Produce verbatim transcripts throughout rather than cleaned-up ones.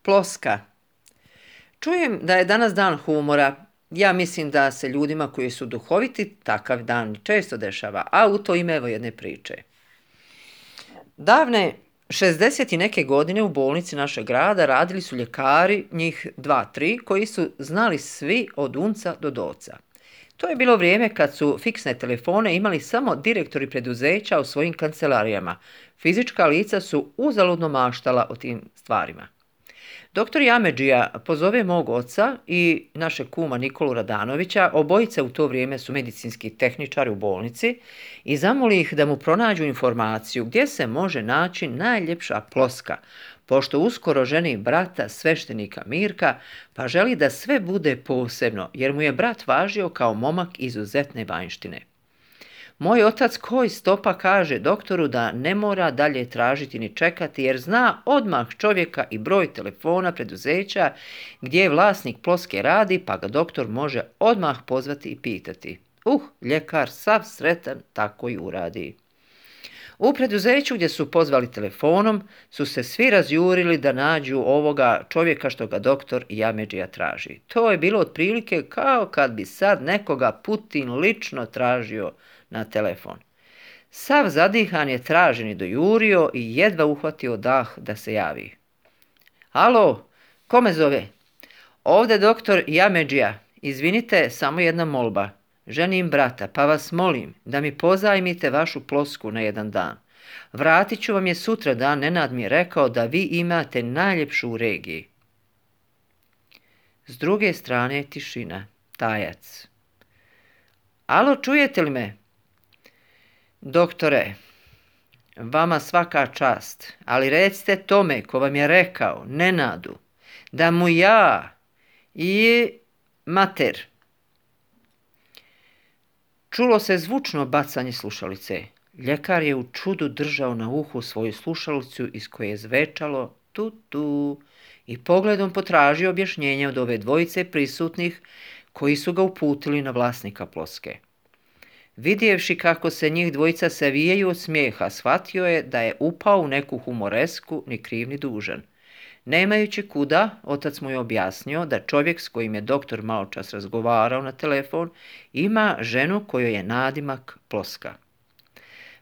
Ploska. Čujem da je danas dan humora. Ja mislim da se ljudima koji su duhoviti takav dan često dešava, a u to ime evo jedne priče. Davne šezdeset i neke godine u bolnici našeg grada radili su ljekari, njih dva, tri, koji su znali svi od unca do doca. To je bilo vrijeme kad su fiksne telefone imali samo direktori preduzeća u svojim kancelarijama. Fizička lica su uzaludno maštala o tim stvarima. Doktor Jamedžija pozove mog oca i našeg kuma Nikolu Radanovića, obojice u to vrijeme su medicinski tehničari u bolnici, i zamoli ih da mu pronađu informaciju gdje se može naći najljepša ploska, pošto uskoro ženi brata sveštenika Mirka, pa želi da sve bude posebno, jer mu je brat važio kao momak izuzetne vanjštine. Moj otac koji stopa kaže doktoru da ne mora dalje tražiti ni čekati, jer zna odmah čovjeka i broj telefona preduzeća gdje vlasnik ploske radi, pa ga doktor može odmah pozvati i pitati. Uh, ljekar sav sretan tako i uradi. U preduzeću gdje su pozvali telefonom su se svi razjurili da nađu ovoga čovjeka što ga doktor Jamedžija traži. To je bilo otprilike kao kad bi sad nekoga Putin lično tražio na telefon. Sav zadihan je traženi dojurio i jedva uhvatio dah da se javi. Alo, ko me zove? Ovdje doktor Jamedžija. Izvinite, samo jedna molba. Ženim brata, pa vas molim da mi pozajmite vašu plosku na jedan dan. Vratit ću vam je sutra dan, Nenad mi je rekao da vi imate najljepšu u regiji. S druge strane je tišina, tajac. Alo, čujete li me? Doktore, vama svaka čast, ali recite tome ko vam je rekao, Nenadu, da mu ja i mater. Čulo se zvučno bacanje slušalice. Ljekar je u čudu držao na uhu svoju slušalicu iz koje je zvečalo tu tu i pogledom potražio objašnjenje od ove dvojice prisutnih koji su ga uputili na vlasnika ploske. Vidjevši kako se njih dvojica savijaju od smijeha, shvatio je da je upao u neku humoresku, ni kriv ni dužan. Nemajući kuda, otac mu je objasnio da čovjek s kojim je doktor maločas razgovarao na telefon ima ženu kojoj je nadimak Ploska.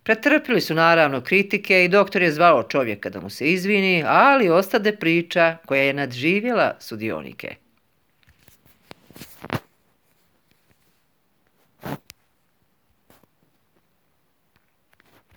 Pretrpili su naravno kritike i doktor je zvao čovjeka da mu se izvini, ali ostade priča koja je nadživjela sudionike.